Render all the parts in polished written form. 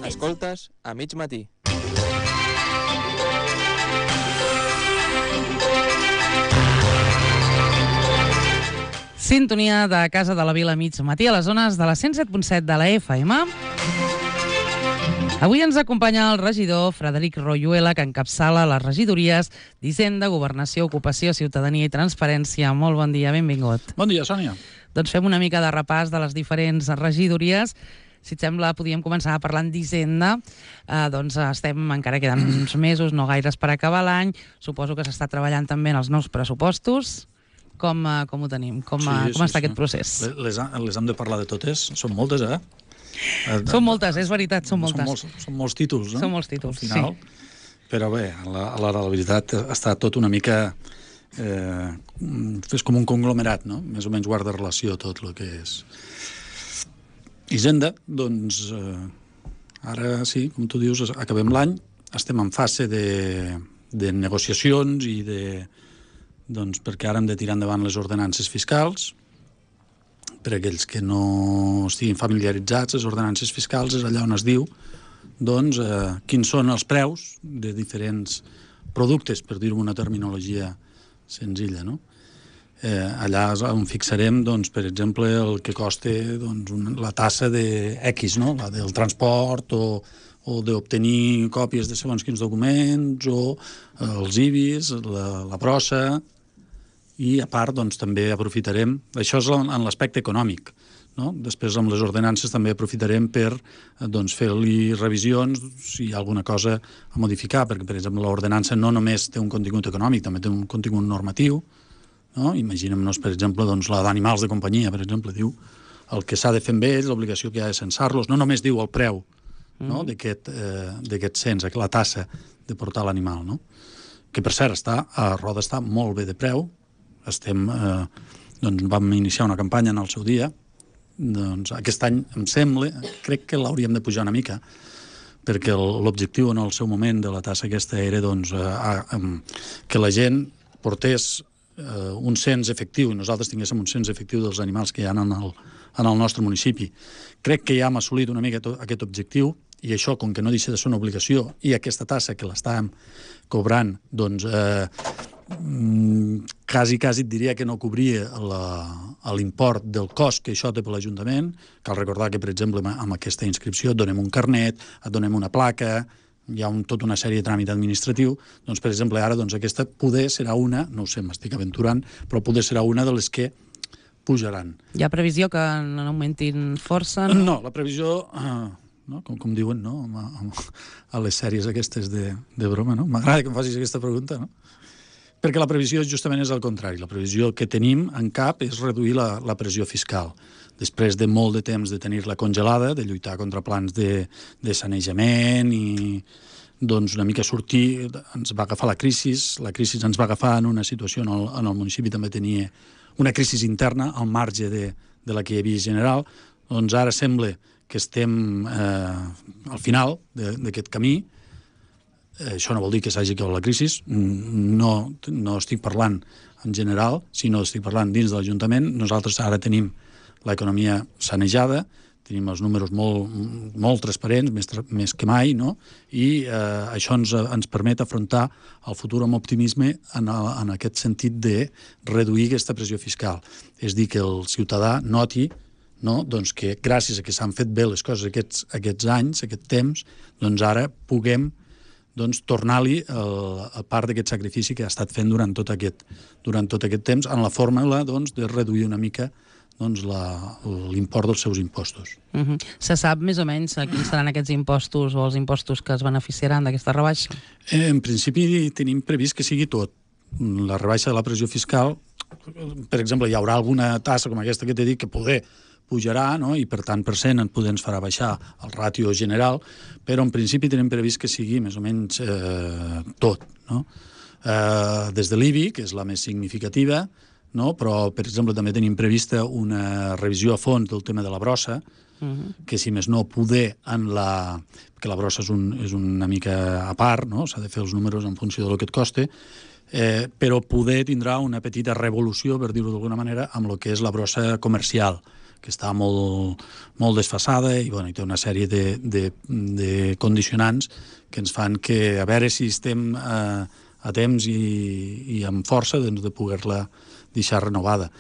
Escoltes a mig matí. Sintonia de Casa de la Vila mig matí a les zones de la 107.7 de la FM. Avui ens acompanya el regidor Frederic Royuela, que encapçala les regidories d'Hisenda, Governació, Ocupació, Ciutadania i Transparència. Molt bon dia, benvingut. Bon dia, Sònia. Doncs fem una mica de repàs de les diferents regidories. Si et sembla, podríem començar parlant d'Hisenda. Doncs encara queden uns mesos, no gaires per acabar l'any. Suposo que s'està treballant també en els nous pressupostos. Com ho tenim? Com està aquest procés? Les hem de parlar de totes. Són moltes, eh? Són moltes, és veritat, són moltes. Són molts títols, no? Són molts títols, al final. Sí. Però bé, a l'hora de la veritat està tot una mica... és com un conglomerat, no? Més o menys guarda relació tot el que és. Hisenda, doncs, ara sí, com tu dius, acabem l'any, estem en fase de negociacions i de... doncs perquè ara hem de tirar endavant les ordenances fiscals. Per a aquells que no estiguin familiaritzats, les ordenances fiscals és allà on es diu doncs, quins són els preus de diferents productes, per dir-ho amb una terminologia senzilla, no? Allà on fixarem, doncs, per exemple, el que costa doncs, la tassa de X, no? La del transport o d'obtenir còpies de segons quins documents o els IBIs, la brossa. I, a part, doncs, també aprofitarem... Això és en l'aspecte econòmic, no? Després, amb les ordenances, també aprofitarem per doncs, fer-li revisions si hi ha alguna cosa a modificar, perquè, per exemple, l'ordenança no només té un contingut econòmic, també té un contingut normatiu, no? Imaginem-nos, per exemple, doncs, la d'animals de companyia, per exemple, diu el que s'ha de fer amb ells, l'obligació que hi ha de censar-los, no només diu el preu no? d'aquest cens, la tassa de portar l'animal, no? Que, per cert, a Roda està molt bé de preu. Doncs vam iniciar una campanya en el seu dia. Doncs aquest any, em sembla, crec que l'hauríem de pujar una mica, perquè l'objectiu en el seu moment de la tassa aquesta era doncs, que la gent portés un cens efectiu i nosaltres tinguéssim un cens efectiu dels animals que hi ha en el nostre municipi. Crec que ja hem assolit una mica aquest objectiu i això, com que no deixa de ser una obligació, i aquesta tassa que l'estàvem cobrant, doncs... quasi et diria que no cobria l'import del cost que això té per l'Ajuntament. Cal recordar que, per exemple, amb aquesta inscripció et donem un carnet, et donem una placa, hi ha tota una sèrie de tràmit administratiu. Doncs, per exemple, ara aquesta poder serà una, no ho sé, m'estic aventurant, però poder serà una de les que pujaran. Hi ha previsió que n'augmentin força? No, la previsió... No? Com diuen, no? A les sèries aquestes de broma, no? M'agrada que em facis aquesta pregunta, no? Perquè la previsió justament és el contrari. La previsió que tenim en cap és reduir la pressió fiscal. Després de molt de temps de tenir-la congelada, de lluitar contra plans de sanejament i doncs una mica sortir, ens va agafar la crisi ens va agafar en una situació en el municipi també tenia una crisi interna al marge de la que hi havia general. Doncs ara sembla que estem al final d'aquest camí. Això no vol dir que s'hagi acabat la crisi, no estic parlant en general, sinó estic parlant dins de l'Ajuntament. Nosaltres ara tenim l'economia sanejada, tenim els números molt transparents, més que mai, no? I això ens permet afrontar el futur amb optimisme en aquest sentit de reduir aquesta pressió fiscal. És dir, que el ciutadà noti, no? Doncs que gràcies a que s'han fet bé les coses aquests anys, aquest temps, doncs ara puguem tornar-li a part d'aquest sacrifici que ha estat fent durant tot aquest temps en la fórmula de reduir una mica l'import dels seus impostos. Se sap més o menys quins seran aquests impostos o els impostos que es beneficiaran d'aquesta rebaixa? En principi tenim previst que sigui tot. La rebaixa de la pressió fiscal, per exemple, hi haurà alguna tassa com aquesta que t'he dit que poder pujarà, no? I per tant per cent ens farà baixar el ràtio general, però en principi tenim previst que sigui més o menys tot, no? Des de l'IBI, que és la més significativa, no? Però, per exemple, també tenim prevista una revisió a fons del tema de la brossa, que si més no poder perquè la brossa és una mica a part, no? S'ha de fer els números en funció del que et costa, però poder tindrà una petita revolució, per dir-ho d'alguna manera, amb el que és la brossa comercial. que està molt desfasada i, bueno, i té una sèrie de condicionants que ens fan que, a veure si estem a temps i amb força de poder-la deixar renovada.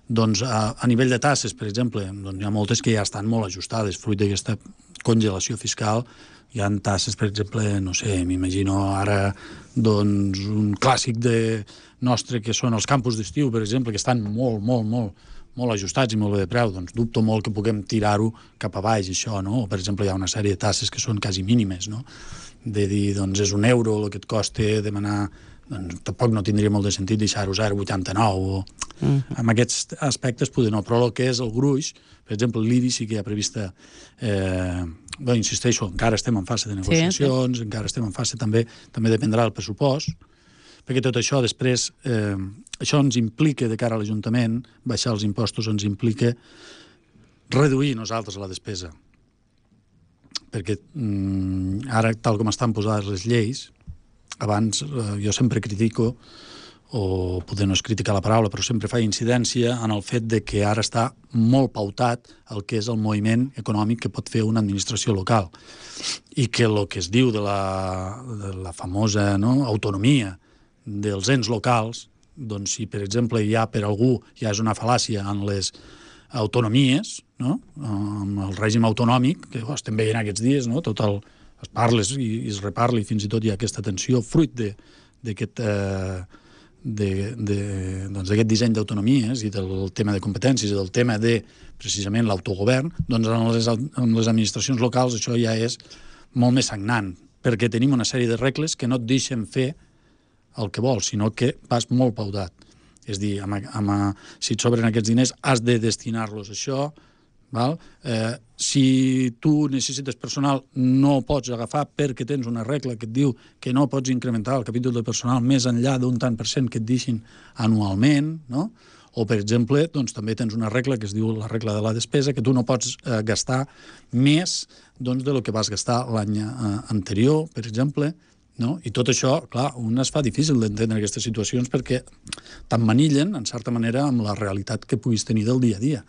Doncs a nivell de tasses, per exemple, doncs hi ha moltes que ja estan molt ajustades, fruit d'aquesta congelació fiscal. Hi ha tasses, per exemple, no sé, m'imagino ara doncs, un clàssic nostre que són els campus d'estiu, per exemple, que estan molt ajustats i molt bé de preu. Doncs dubto molt que puguem tirar-ho cap a baix, això, no? O, per exemple, hi ha una sèrie de tasses que són quasi mínimes, no? De dir, doncs, és €1 el que et costa demanar, doncs tampoc no tindria molt de sentit deixar-ho 0,89 o... En aquests aspectes poder no, però el que és el gruix, per exemple, l'IBI sí que hi ha prevista, bé, insisteixo, encara estem en fase de negociacions, encara estem en fase també dependrà del pressupost, perquè tot això després, això ens implica de cara a l'Ajuntament, baixar els impostos ens implica reduir nosaltres la despesa, perquè ara, tal com estan posades les lleis, abans jo sempre critico, o poder no és criticar la paraula, però sempre fa incidència en el fet de que ara està molt pautat el que és el moviment econòmic que pot fer una administració local i que el que es diu de la famosa autonomia dels ens locals, doncs si per exemple ja per algú ja és una fal·làcia en les autonomies, no? Amb el règim autonòmic, que estem veient aquests dies, no? Tot es parla i es reparla i fins i tot hi ha aquesta tensió fruit d'aquest d'aquest disseny d'autonomies i del tema de competències i del tema de, precisament, l'autogovern, doncs en les administracions locals això ja és molt més sagnant, perquè tenim una sèrie de regles que no et deixen fer el que vols, sinó que vas molt pautat. És a dir, si et sobren aquests diners, has de destinar-los a això, val? Si tu necessites personal no pots agafar perquè tens una regla que et diu que no pots incrementar el capítol de personal més enllà d'un tant per cent que et deixin anualment, no? O, per exemple, doncs, també tens una regla que es diu la regla de la despesa, que tu no pots gastar més doncs, de lo que vas gastar l'any anterior, per exemple, no? I tot això, clar, un es fa difícil d'entendre aquestes situacions perquè t'emmanillen, en certa manera, amb la realitat que puguis tenir del dia a dia.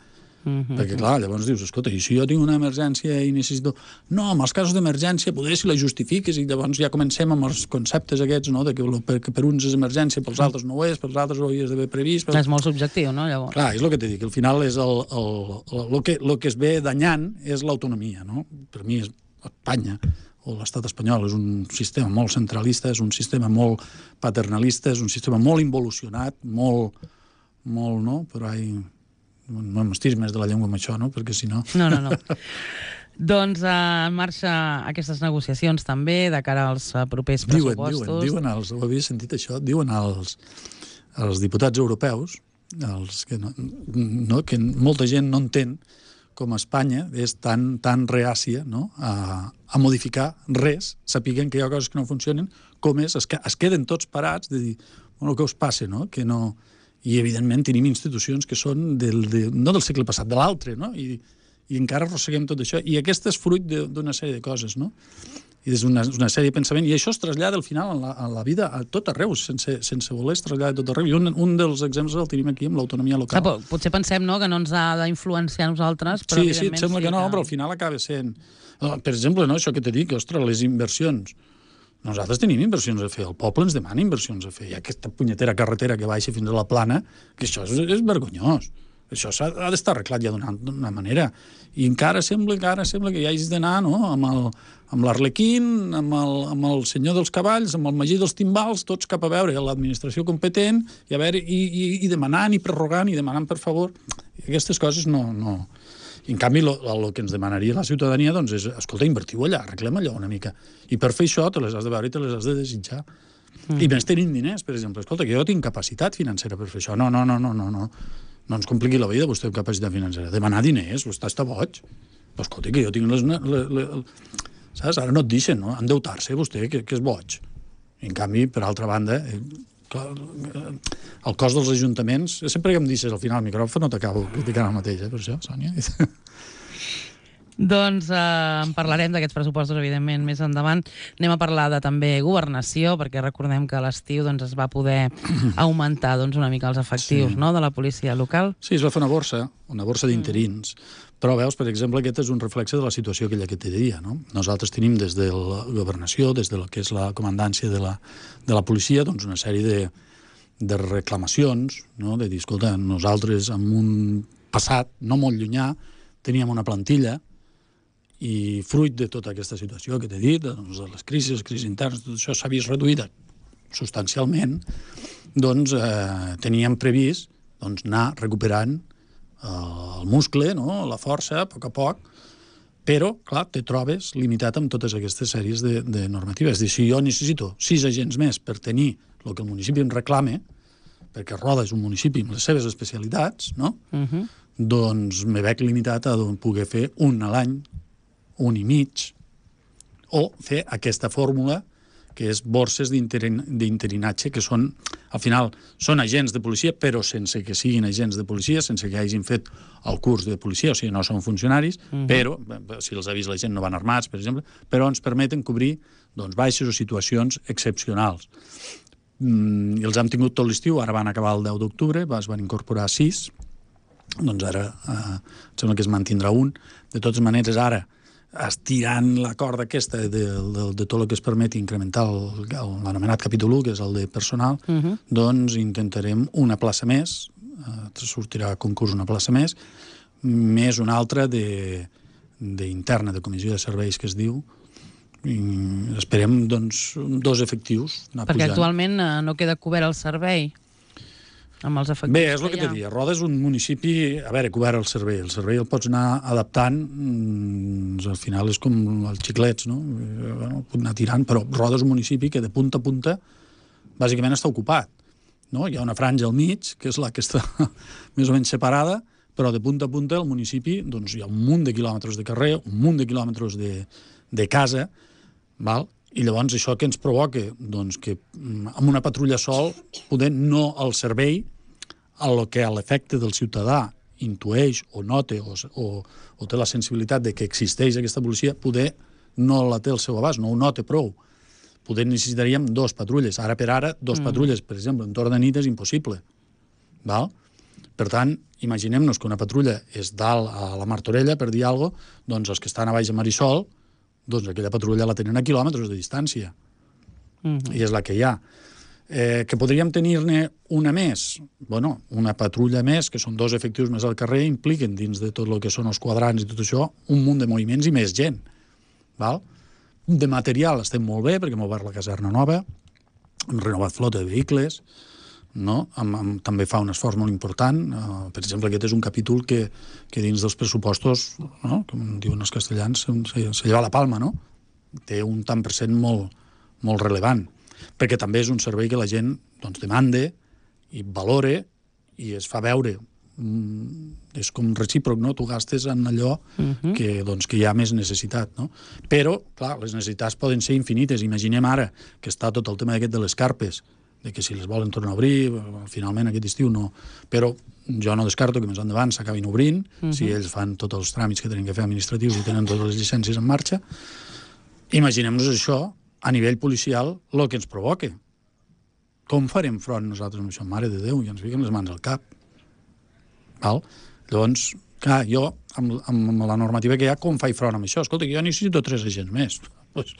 Perquè, clar, llavors dius, escolta, i si jo tinc una emergència i necessito... No, en els casos d'emergència, poder si la justifiques i llavors ja comencem amb els conceptes aquests, no?, de que per uns és emergència, pels altres no ho és, pels altres ho havies d'haver previst... És molt subjectiu, no, llavors? Clar, és el que t'he dit, que al final és el que es ve danyant és l'autonomia, no? Per mi és Espanya, o l'estat espanyol, és un sistema molt centralista, és un sistema molt paternalista, és un sistema molt involucionat, molt, no? Però no m'estiris més de la llengua amb això, no? Perquè si no... No. Doncs en marxa aquestes negociacions també de cara als propers pressupostos. Diuen ho havia sentit això, diuen als diputats europeus, que molta gent no entén com Espanya és tan reàcia, no?, a modificar res, sapiguen que hi ha coses que no funcionen, com es queden tots parats de dir, bueno, què us passa, no?, que no... I, evidentment, tenim institucions que són no del segle passat, de l'altre, no? I encara arrosseguem tot això. I aquest és fruit d'una sèrie de coses, no? I és una sèrie de pensament. I això es trasllada, al final, a la vida a tot arreu, sense voler es trasllada a tot arreu. I un dels exemples el tenim aquí, amb l'autonomia local. Potser pensem, no?, que no ens ha d'influenciar a nosaltres, però evidentment... Sí, et sembla que no, però al final acaba sent... Per exemple, no, això que t'he dit, que, ostres, les inversions... Nosaltres tenim inversions a fer, el poble ens demana inversions a fer, hi ha aquesta punyetera carretera que baixa fins a la plana, que això és vergonyós. Això ha d'estar arreglat ja d'una manera. I encara sembla que hi hagis d'anar, no?, amb l'Arlequín, amb el senyor dels cavalls, amb el Magí dels timbals, tots cap a veure l'administració competent i demanant i prorrogant i demanant per favor. Aquestes coses no... I, en canvi, el que ens demanaria la ciutadania doncs, és, escolta, invertiu allà, arreglem allò una mica. I per fer això te les has de veure i te les has de desitjar. I més tenint diners, per exemple. Escolta, que jo tinc capacitat financera per fer això. No ens compliqui la vida, vostè amb capacitat financera. Demanar diners, vostè està boig. Però escolta, que jo tinc saps? Ara no et deixen, no? Endeutar-se, vostè, que és boig. I, en canvi, per altra banda... el cost dels ajuntaments, sempre que em deixes al final el micròfon no t'acabo criticant el mateix, per això, Sònia. Doncs en parlarem d'aquests pressupostos, evidentment, més endavant. Anem a parlar de també governació, perquè recordem que a l'estiu es va poder augmentar una mica els efectius de la policia local. Sí, es va fer una borsa d'interins. Però veus, per exemple, aquest és un reflexe de la situació aquella que t'he dit, no? Nosaltres tenim des de la governació, des de lo que és la comandància de la policia, doncs una sèrie de reclamacions, no? De dir, escolta, nosaltres en un passat no molt llunyà teníem una plantilla i fruit de tota aquesta situació que t'he dit, doncs, de les crisis internes, tot això s'ha vist reduït substancialment, doncs teníem previst anar recuperant el muscle, no? La força, a poc, però, clar, te trobes limitat amb totes aquestes sèries de normatives. És dir, si jo necessito 6 agents més per tenir el que el municipi em reclame, perquè Roda és un municipi amb les seves especialitats, no? Doncs me veig limitat a poder fer un a l'any, un i mig, o fer aquesta fórmula que és borses d'interinatge, que són, al final, són agents de policia, però sense que siguin agents de policia, sense que hagin fet el curs de policia, o sigui, no són funcionaris, però, si els ha vist la gent, no van armats, per exemple, però ens permeten cobrir baixes o situacions excepcionals. I els hem tingut tot l'estiu, ara van acabar el 10 d'octubre, es van incorporar 6, doncs ara sembla que es mantindrà un. De totes maneres, ara, estirant la corda aquesta de tot el que es permeti incrementar l'anomenat capítol 1, que és el de personal, doncs intentarem una plaça més, sortirà a concurs una plaça més una altra d'interna, de comissió de serveis, que es diu, i esperem, doncs, 2 efectius. Perquè actualment no queda cobert el servei amb els efectius. Bé, és el que t'he dit. Roda és un municipi, a veure, cobert el servei el pots anar adaptant, al final és com els xiclets, no? Pot anar tirant, però Roda és un municipi que de punta a punta bàsicament està ocupat, no? Hi ha una franja al mig, que és la que està més o menys separada, però de punta a punta el municipi, doncs hi ha un munt de quilòmetres de carrer, un munt de quilòmetres de casa, val? I llavors això que ens provoca? Doncs que amb una patrulla sol, poder no el servei, a lo que a l'efecte del ciutadà intueix o nota o té la sensibilitat de que existeix aquesta policia, poder no la té al seu abast, no ho nota prou. Poder necessitaríem 2 patrulles. Ara per ara, 2 patrulles, per exemple, en torn de nit és impossible. Val? Per tant, imaginem-nos que una patrulla és dalt a la Martorella, per dir alguna cosa, doncs els que estan a baix a Marisol, doncs aquella patrulla la tenen a quilòmetres de distància. I és la que hi ha. Que podríem tenir-ne una més? Bueno, una patrulla més, que són 2 efectius més al carrer, impliquen dins de tot el que són els quadrants i tot això, un munt de moviments i més gent. Val? De material estem molt bé, perquè hem obert la caserna nova, hem renovat flota de vehicles, no? També fa un esforç molt important. Per exemple, aquest és un capítol que dins dels pressupostos, no? Com diuen els castellans, se lleva la palma, no? Té un tant per cent molt rellevant, perquè també és un servei que la gent demanda i valora i es fa veure. És com recíproc, no? Tu gastes en allò que hi ha més necessitat, no? Però, clar, les necessitats poden ser infinites. Imaginem ara que està tot el tema aquest de les carpes, de que si les volen tornar a obrir, finalment aquest estiu no. Però jo no descarto que més endavant s'acabin obrint, si ells fan tots els tràmits que tenen que fer administratius i tenen totes les llicències en marxa. Imaginem-nos això a nivell policial, el que ens provoca. Com farem front nosaltres amb això? Mare de Déu, i ens fiquem les mans al cap. Val? Llavors, clar, jo, amb la normativa que hi ha, com faig front amb això? Escolta, jo necessito 3 agents més. Doncs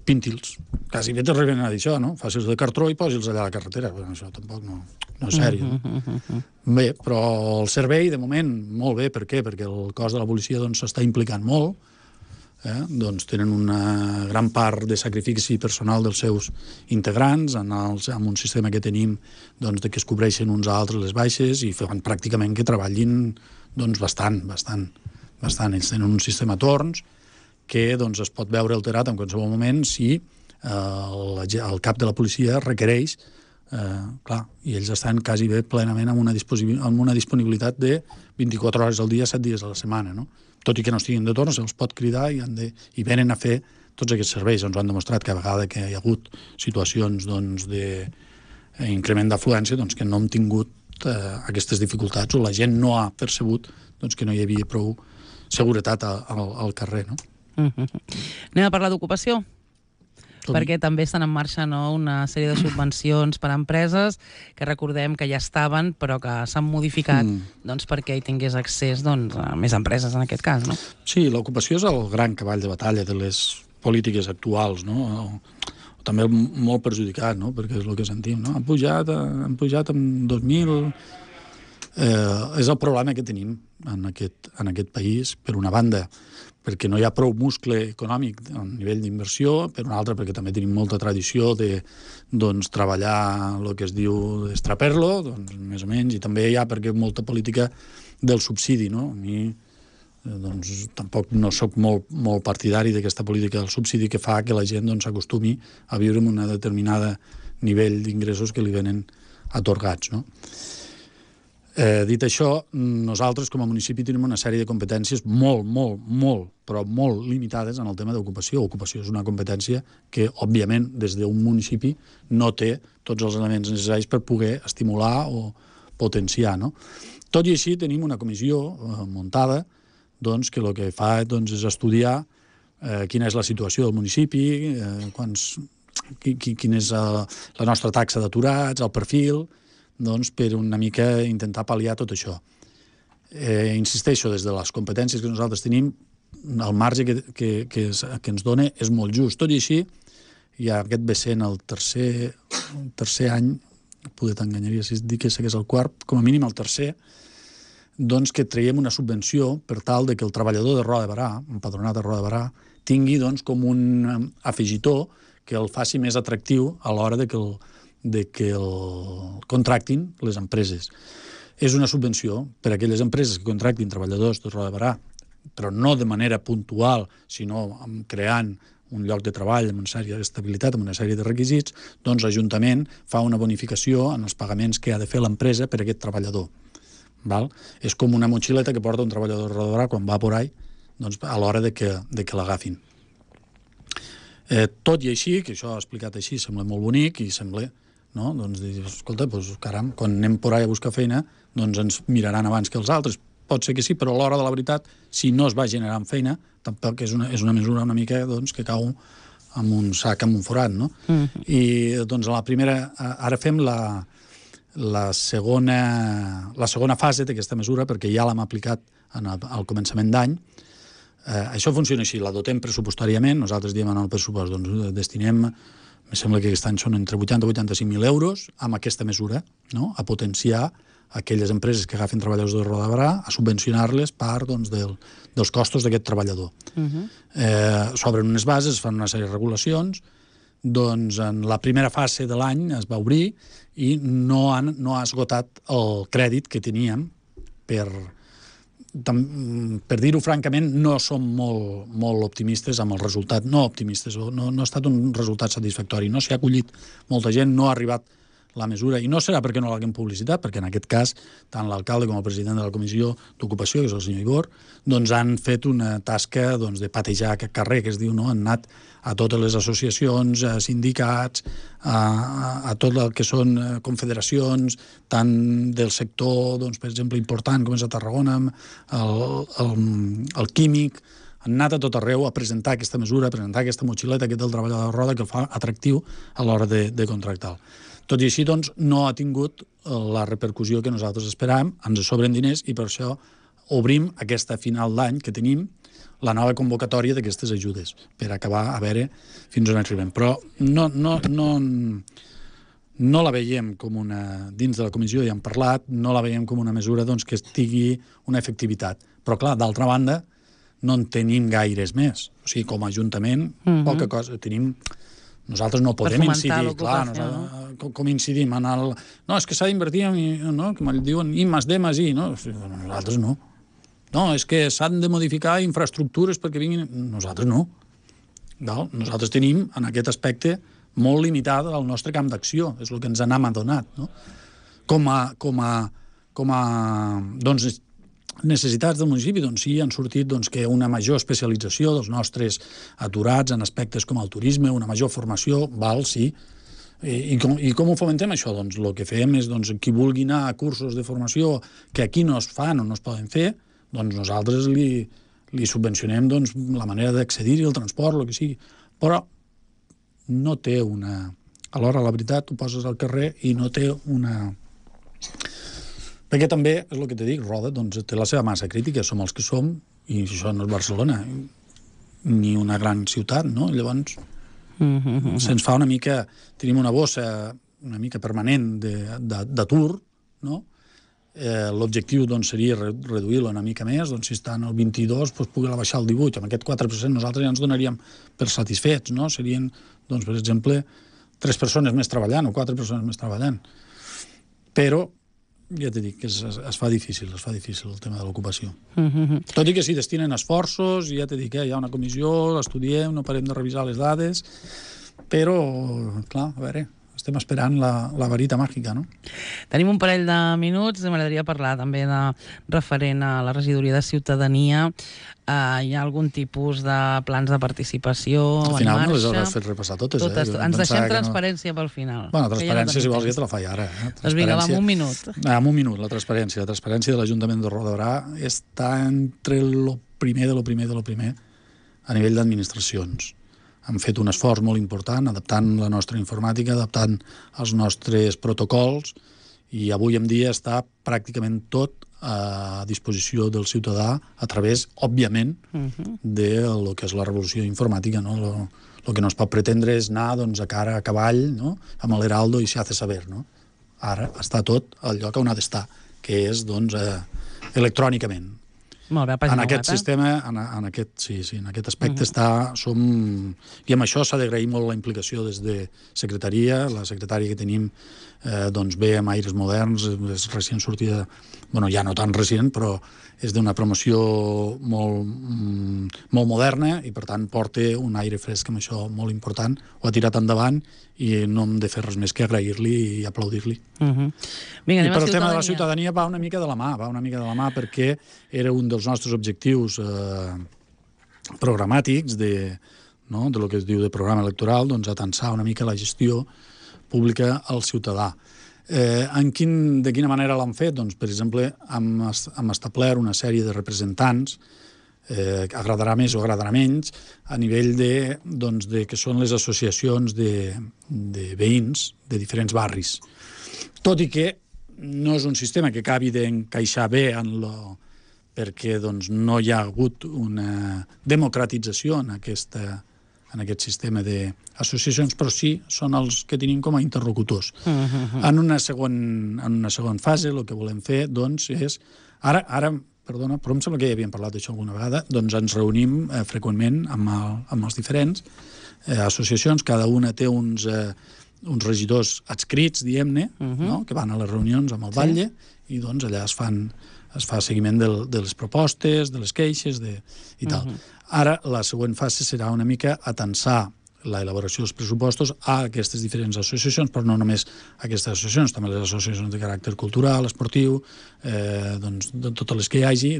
pinti'ls. Quasi bé t'arriben a dir això, no? Facis de cartró i posi'ls allà a la carretera. Bueno, això tampoc no és sèrio. Bé, però el servei, de moment, molt bé. Per què? Perquè el cos de la policia s'està implicant molt. Doncs tenen una gran part de sacrifici personal dels seus integrants amb un sistema que tenim de que es cobreixen uns a altres les baixes i fan pràcticament que treballin bastant. Ells tenen un sistema a torns que es pot veure alterat en qualsevol moment si el cap de la policia requereix, clar, i ells estan quasi bé plenament amb una disponibilitat de 24 hores al dia, 7 dies a la setmana, no? Tot i que no estiguin de torn, se'ls pot cridar i venen a fer tots aquests serveis. Ens ho han demostrat que a vegada que hi ha hagut situacions d'increment d'afluència que no hem tingut aquestes dificultats o la gent no ha percebut que no hi havia prou seguretat al carrer, no? Anem a parlar d'ocupació? Perquè també estan en marxa una sèrie de subvencions per a empreses que recordem que ja estaven però que s'han modificat perquè hi tingués accés a més empreses en aquest cas, no? Sí, l'ocupació és el gran cavall de batalla de les polítiques actuals, no? També molt perjudicat, no? Perquè és el que sentim, no? Han pujat en 2000... és el problema que tenim en aquest país, per una banda, perquè no hi ha prou muscle econòmic a nivell d'inversió, per una altra perquè també tenim molta tradició de treballar el que es diu extraperlo, més o menys, i també hi ha perquè molta política del subsidi, no? A mi tampoc no sóc molt partidari d'aquesta política del subsidi que fa que la gent s'acostumi a viure amb un determinat nivell d'ingressos que li venen atorgats, no? Dit això, nosaltres com a municipi tenim una sèrie de competències molt limitades en el tema d'ocupació. Ocupació és una competència que, òbviament, des d'un municipi no té tots els elements necessaris per poder estimular o potenciar, no? Tot i així, tenim una comissió muntada que el que fa és estudiar quina és la situació del municipi, quina és la nostra taxa d'aturats, el perfil, per una mica intentar pal·liar tot això. Insisteixo, des de les competències que nosaltres tenim, el marge que ens dona és molt just. Tot i així, ja aquest ve sent el tercer any, poder t'enganyaria si dic que és el quart, com a mínim el tercer, que traiem una subvenció per tal que el treballador de Roda de Berà, empadronat a Roda de Berà, tingui com un afegitó que el faci més atractiu a l'hora de que el contractin les empreses. És una subvenció per a aquelles empreses que contractin treballadors de Roda de Berà, però no de manera puntual, sinó creant un lloc de treball amb una sèrie d'estabilitat, amb una sèrie de requisits, l'Ajuntament fa una bonificació en els pagaments que ha de fer l'empresa per a aquest treballador. És com una motxileta que porta un treballador de Roda de Berà quan va por ahí, a l'hora de que l'agafin. Tot i així, que això explicat així sembla molt bonic i sembla, no? Escolta, caram, quan anem por ahí a buscar feina, ens miraran abans que els altres. Pot ser que sí, però a l'hora de la veritat, si no es va generant feina, tampoc és una mesura una mica que cau amb un sac, amb un forat, no? I a la primera, ara fem la segona fase d'aquesta mesura, perquè ja l'hem aplicat al començament d'any. Això funciona així, la dotem pressupostàriament, nosaltres diem en el pressupost, destinem, em sembla que aquest any són entre 80 i 85.000 euros amb aquesta mesura, a potenciar aquelles empreses que agafen treballadors de Roda de Berà, a subvencionar-les part dels costos d'aquest treballador. S'obren unes bases, es fan una sèrie de regulacions, en la primera fase de l'any es va obrir i no ha esgotat el crèdit que teníem per dir-ho francament, no som molt optimistes amb el resultat, no optimistes, no ha estat un resultat satisfactori, no s'hi ha acollit molta gent, no ha arribat la mesura, i no serà perquè no l'haguem publicitat, perquè en aquest cas, tant l'alcalde com el president de la Comissió d'Ocupació, que és el senyor Igor, han fet una tasca de patejar aquest carrer, que es diu, han anat a totes les associacions, a sindicats, a tot el que són confederacions, tant del sector, per exemple, important, com és a Tarragona, el químic, han anat a tot arreu a presentar aquesta mesura, a presentar aquesta motxileta, aquest del treballador de roda, que el fa atractiu a l'hora de contractar. Tot i així, no ha tingut la repercussió que nosaltres esperàvem, ens sobren diners i per això obrim aquesta final d'any que tenim la nova convocatòria d'aquestes ajudes, per acabar a veure fins on arribem. Però no la veiem com una... Dins de la comissió ja hem parlat, no la veiem com una mesura que tingui una efectivitat. Però, clar, d'altra banda, no en tenim gaires més. O sigui, com a Ajuntament, poca cosa. Nosaltres no podem incidir, clar, com incidim en el... No, és que s'ha d'invertir, que me'l diuen I+D+I, no? Nosaltres no. No, és que s'han de modificar infraestructures perquè vinguin... Nosaltres no. Nosaltres tenim, en aquest aspecte, molt limitat el nostre camp d'acció, és el que ens n'hem adonat, no? Com a necessitats del municipi, sí, han sortit que una major especialització dels nostres aturats en aspectes com el turisme, una major formació, sí. I com ho fomentem, això? El que fem és, qui vulgui anar a cursos de formació que aquí no es fan o no es poden fer, nosaltres li li subvencionem doncs, la manera d'accedir-hi, el transport, el que sigui, però no té una... Alhora, la veritat, tu poses al carrer i no té una... Perquè també, és el que te dic, Roda doncs, té la seva massa crítica, som els que som, i això no és Barcelona, ni una gran ciutat, no? Llavors, se'ns fa una mica... Tenim una bossa una mica permanent d'atur, no? L'objectiu doncs, seria reduir-lo una mica més, doncs, si està en el 22, doncs, poder baixar al 18. Amb aquest 4% nosaltres ja ens donaríem per satisfets, no? Serien, doncs, per exemple, 3 persones més treballant o 4 persones més treballant. Però, ja t'he dit, que es fa difícil el tema de l'ocupació. Tot i que s'hi destinen esforços, i ja t'he dit que hi ha una comissió, l'estudiem, no parem de revisar les dades, però, clar, a veure... Estem esperant la varita màgica, no? Tenim un parell de minuts. M'agradaria parlar també de referent a la regidoria de ciutadania. Hi ha algun tipus de plans de participació en marxa? Al final no les hauràs fet repassar totes. Ens deixem transparència pel final. Bueno, transparència, si vols, ja te la faig ara. Doncs vinga, va, en un minut. En un minut, la transparència. La transparència de l'Ajuntament de Roda de Berà està entre lo primer a nivell d'administracions. Hem fet un esforç molt important adaptant la nostra informàtica, adaptant els nostres protocols, i avui en dia està pràcticament tot a disposició del ciutadà a través, òbviament, de lo que és la revolució informàtica. No? Lo que no es pot pretendre és anar doncs, a cara a cavall, no? Amb l'Heraldo i se hace saber. No? Ara està tot al lloc on ha d'estar, que és doncs, electrònicament. Molt bé, en aquest sistema, en aquest aspecte som... I amb això s'ha d'agrair molt la implicació des de secretaria. La secretària que tenim doncs ve amb aires moderns, és recient sortida, bueno, ja no tan recient, però és d'una promoció molt moderna i, per tant, porta un aire fresc amb això molt important. Ho ha tirat endavant i no hem de fer res més que agrair-li i aplaudir-li. I per el tema de la ciutadania va una mica de la mà, perquè era un dels nostres objectius programàtics de lo que es diu de programa electoral, doncs atensar una mica la gestió pública al ciutadà. De quina manera l'han fet? Doncs, per exemple, hem establert una sèrie de representants, agradarà més o agradarà menys, a nivell de que són les associacions de veïns de diferents barris. Tot i que no és un sistema que acabi d'encaixar bé perquè no hi ha hagut una democratització en aquest sistema d'associacions, però sí són els que tenim com a interlocutors. En una segona fase, el que volem fer és... Ara, perdona, però em sembla que ja havíem parlat d'això alguna vegada, doncs ens reunim freqüentment amb les diferents associacions. Cada una té uns regidors adscrits, diguem-ne, que van a les reunions amb el batlle, i doncs allà es fa seguiment de les propostes, de les queixes i tal. Ara, la següent fase serà una mica atensar l'elaboració dels pressupostos a aquestes diferents associacions, però no només aquestes associacions, també les associacions de caràcter cultural, esportiu, de totes les que hi hagi,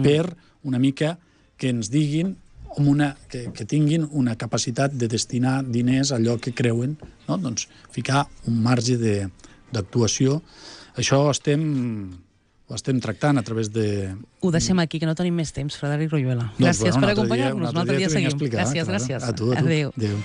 per una mica que ens diguin que tinguin una capacitat de destinar diners a allò que creuen, doncs ficar un marge d'actuació. Això ho estem tractant a través de... Ho deixem aquí, que no tenim més temps, Frederic Royuela. Gràcies per acompanyar-nos. Un altre dia seguim. Gràcies. A tu. Adéu. Adéu.